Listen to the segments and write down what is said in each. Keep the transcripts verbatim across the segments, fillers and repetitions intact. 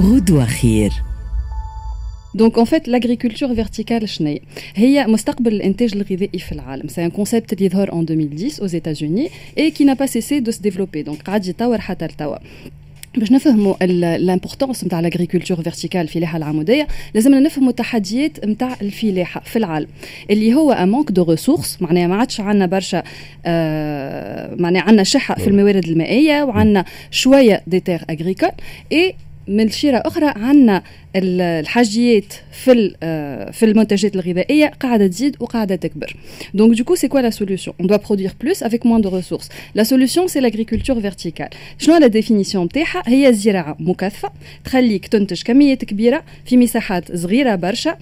غدوة خير. Donc en fait, l'agriculture verticale شنية؟ هي مستقبل الانتاج الغذائي في العالم. C'est un concept اللي ظهر en deux mille dix aux États-Unis et qui n'a pas cessé de se développer. Donc قاعد يتطور حتى لتوا. باش نفهموا l'importance نتاع l'agriculture verticale، الفلاحة العموديه، لازمنا نفهموا التحديات نتاع الفلاحة في العالم، اللي هو un manque de ressources، معناها ما عادش عندنا برشا، آه معناها عندنا شحه في الموارد المائية وعندنا شوية des terres agricoles، et من شيرة أخرى عندنا الحاجيات في آه، في المنتجات الغذائية قاعدة تزيد وقاعدة تكبر. Donc du coup, c'est quoi la solution؟ On doit produire plus avec moins de ressources. La solution, c'est l'agriculture verticale. شنو la définition نتاعها؟ هي زراعة مكثفة تخليك تنتج كميات كبيرة في مساحات صغيرة برشا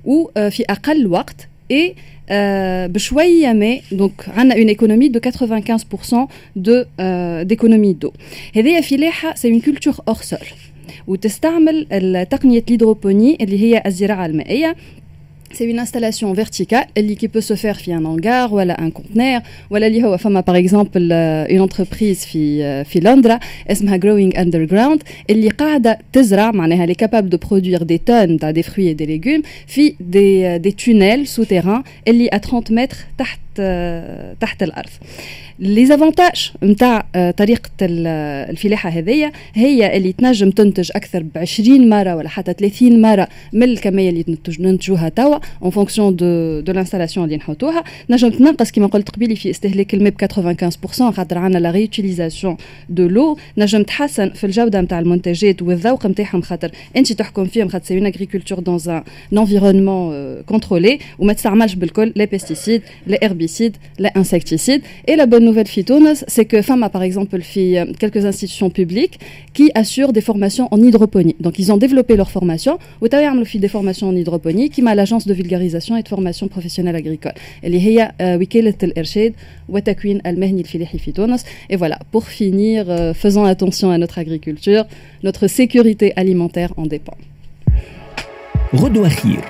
وفي أقل وقت et euh, بشوية ماء، donc عندنا une économie de quatre-vingt-quinze pour cent de d'économie d'eau. هذه فلاحه، c'est une culture hors sol، وتستعمل تقنية l'hydroponie اللي هي الزراعة المائيه. C'est une installation verticale اللي qui peut se faire في un hangar ولا un conteneur ولا اللي هو. فما par exemple une entreprise في في لندرا اسمها Growing Underground اللي قاعدة تزرع، معناها elle est capable de produire des tonnes تاع des fruits et des légumes في des des tunnels souterrains اللي à trente mètres تحت تحت الارض. les avantages نتاع طريقه الفلاحة هذيا هي اللي تنجم تنتج اكثر ب عشرين مرة ولا حتى ثلاثين مرة من الكمية اللي ننتجوها توا en fonction de de l'installation اللي نحطوها. نجم تنقص كما قلت قبيلي في استهلاك الماء ب quatre-vingt-quinze pour cent خاطر عندنا la réutilisation de l'eau. نجم تحسن في الجودة نتاع المنتجات والذوق نتاعهم خاطر انت تحكم فيهم، خاطر c'est une agriculture dans un environnement contrôlé وما تستعملش بالكل les pesticides, les herbicides, les insecticides. Et la bonne nouvelle في تونس, c'est que فما par exemple في quelques institutions publiques qui assurent des formations en hydroponie. Donc ils ont développé leur formation وتوا يعملوا في des formations en hydroponie كيما l'agence de vulgarisation et de formation professionnelle agricole اللي هي وكالة الإرشاد والتكوين المهني الفلاحي في تونس. Et voilà, pour finir, faisons attention à notre agriculture, notre sécurité alimentaire en dépend. غدوة خير.